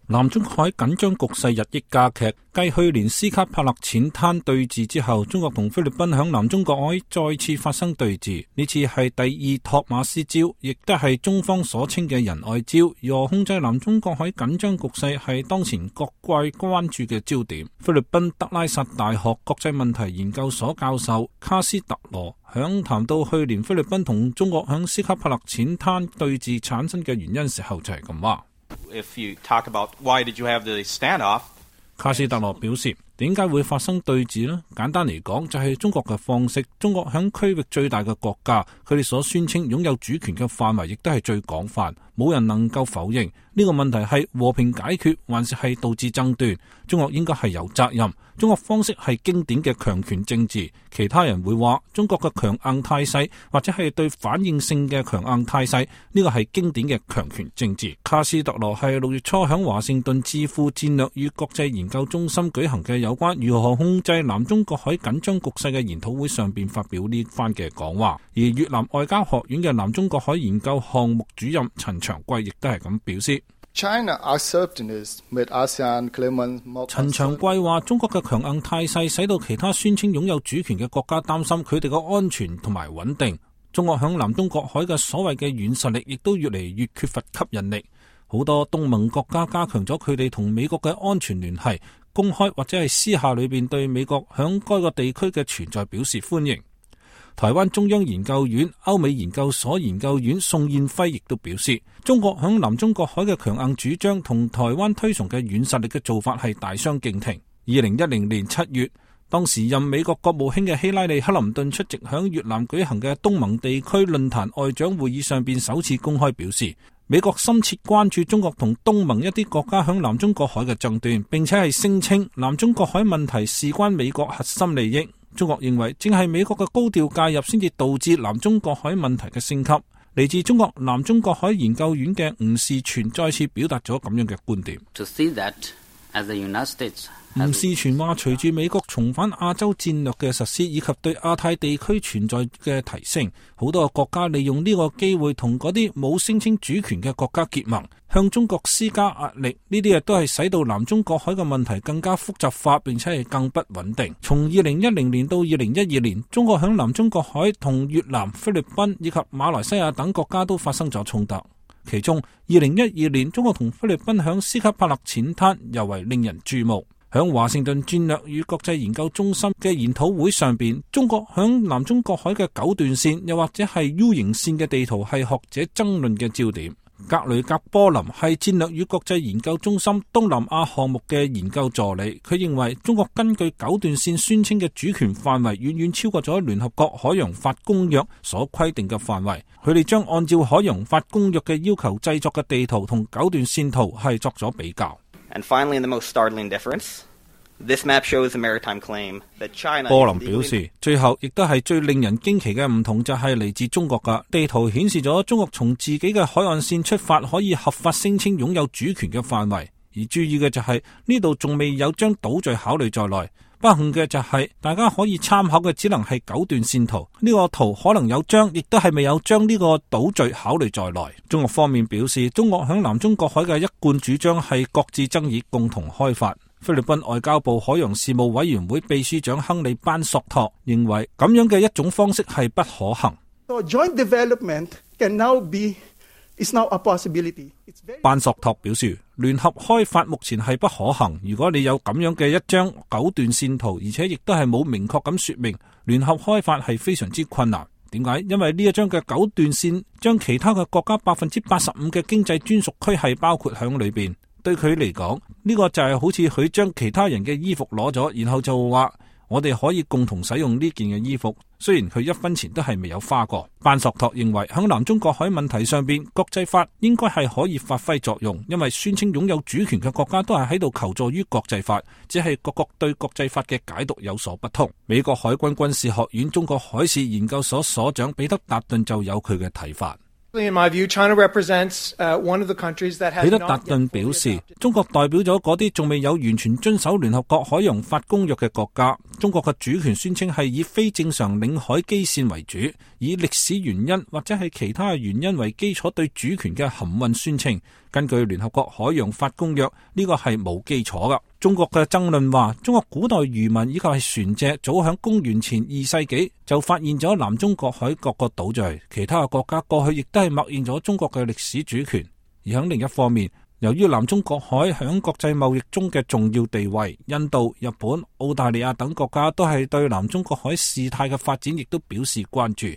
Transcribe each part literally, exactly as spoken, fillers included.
南中國海緊張局勢日益加劇，繼去年斯卡帕勒淺灘對峙之後，中國同菲律賓響南中國海再次發生對峙。呢次係第二托馬斯礁，亦都係中方所稱嘅仁愛礁。如何控制南中國海緊張局勢係當前各界關注嘅焦點。菲律賓德拉薩大學國際問題研究所教授卡斯特羅響談到去年菲律賓同中國響斯卡帕勒淺灘對峙產生嘅原因時候就係咁話。If you talk about why did you have the standoff? 卡斯特羅表示，點解會發生對峙呢？簡單嚟講，就係中國嘅方式。中國響區域最大嘅國家，佢哋所宣稱擁有主權嘅範圍，亦都係最廣泛，冇人能夠否認。呢個問題係和平解決，還是係導致爭端？中國應該係有責任。中國方式係經典嘅強權政治。其他人會話中國嘅強硬態勢，或者係對反應性嘅強硬態勢，呢個係經典嘅強權政治。卡斯特羅係六月初響華盛頓智庫戰略與國際研究中心舉行嘅有關如何控制南中國海緊張局勢嘅研討會上邊發表呢番嘅講話。而越南外交學院嘅南中國海研究項目主任陳長貴亦都係咁表示。China assertiveness made ASEAN claimants more concerned. 陳長貴話：中國嘅強硬態勢使到其他宣稱擁有主權嘅國家擔心佢哋嘅安全同埋穩定。中國響南中國海嘅所謂嘅軟實力，亦都越嚟越缺乏吸引力。好多東盟國家加強咗佢哋同美國嘅安全聯繫，公開或者係私下裏邊對美國響該個地區嘅存在表示歡迎。台灣中央研究院歐美研究所研究員宋燕輝亦都表示，中國響南中國海嘅強硬主張同台灣推崇嘅軟實力嘅做法係大相徑庭。二零一零年七月，當時任美國國務卿嘅希拉里克林頓出席響越南舉行嘅東盟地區論壇外長會議上邊首次公開表示，美國深切關注中國同東盟一啲國家響南中國海嘅爭端，並且係聲稱南中國海問題事關美國核心利益。中國認為正係美國嘅高調介入先至導致南中國海問題嘅升級。嚟自中國南中國海研究院嘅吳士全再次表達咗咁樣嘅觀點。To see that as the United States 吳士全話，隨住美國重返亞洲戰略嘅實施，以及對亞太地區存在嘅提升，好多個國家利用呢個機會同嗰啲冇聲稱主權嘅國家結盟，向中國施加壓力。呢啲嘢都係使到南中國海嘅問題更加複雜化，並且係更不穩定。從二零一零年到二零一二年，中國響南中國海同越南、菲律賓以及馬來西亞等國家都發生咗衝突。其中二零一二年，中國同菲律賓響斯卡帕勒淺灘尤為令人注目。響華盛頓戰略與國際研究中心嘅研討會上邊，中國響南中國海嘅九段線又或者係 U 型線嘅地圖係學者爭論嘅焦點。格雷格波林係戰略與國際研究中心東南亞項目嘅研究助理，佢認為中國根據九段線宣稱嘅主權範圍遠遠超過咗聯合國海洋法公約所規定嘅範圍。佢哋將按照海洋法公約嘅要求製作嘅地圖同九段線圖係作咗比較。And finally, the most startling difference, this map shows a maritime claim that China. 波林表示，最後亦都係最令人驚奇嘅唔同就係嚟自中國嘅地圖顯示咗中國從自己嘅海岸線出發，可以合法聲稱擁有主權嘅範圍。而注意嘅就係呢度仲未有將島嶼考慮在內。不幸嘅就係、是、大家可以參考嘅只能係九段線圖，呢、這個圖可能有將，亦都係未有將呢個島嶼考慮在內。中國方面表示，中國響南中國海嘅一貫主張係各自爭議，共同開發。菲律賓外交部海洋事務委員會秘書長亨利班索托認為，咁樣嘅一種方式係不可行。So joint development can now be is now a possibility. 班索托表示，聯合開發目前係不可行。如果你有咁樣嘅一張九段線圖，而且亦都係冇明確咁說明聯合開發係非常之困難。點解？因為呢一張嘅九段線將其他嘅國家百分之八十五嘅經濟專屬區係包括響裏邊。對佢嚟講，呢個就係好似佢將其他人嘅衣服攞咗，然後就話我哋可以共同使用呢件嘅衣服。雖然佢一分錢都係未有花過。班索托認為響南中國海問題上邊，國際法應該係可以發揮作用，因為宣稱擁有主權嘅國家都係喺度求助於國際法，只係各國對國際法嘅解讀有所不同。美國海軍軍事學院中國海事研究所所長彼得達頓就有佢嘅睇法。In my view, China represents one of the countries that has not yet fully adopted. 彼得達頓表示，中國代表咗嗰啲仲未有完全遵守聯合國海洋法公約嘅國家。中國嘅主權宣稱係以非正常領海基線為主，以歷史原因或者係其他原因為基礎對主權嘅含混宣稱。根據聯合國海洋法公約，呢個係冇基礎噶。中國嘅爭論話，中國古代漁民以及係船隻早響公元前二世紀就發現咗南中國海各個島嶼，其他嘅國家過去亦都係默認咗中國嘅歷史主權。而喺另一方面，由於南中國海響國際貿易中嘅重要地位，印度、日本、澳大利亞等國家都係對南中國海事態嘅發展亦都表示關注。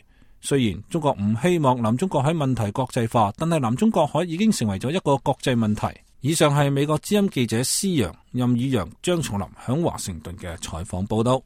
雖然中國唔希望南中國海問題國際化，但係南中國海已經成為咗一個國際問題。以上係美國之音記者施陽、任宇陽、張松林響華盛頓嘅採訪報道。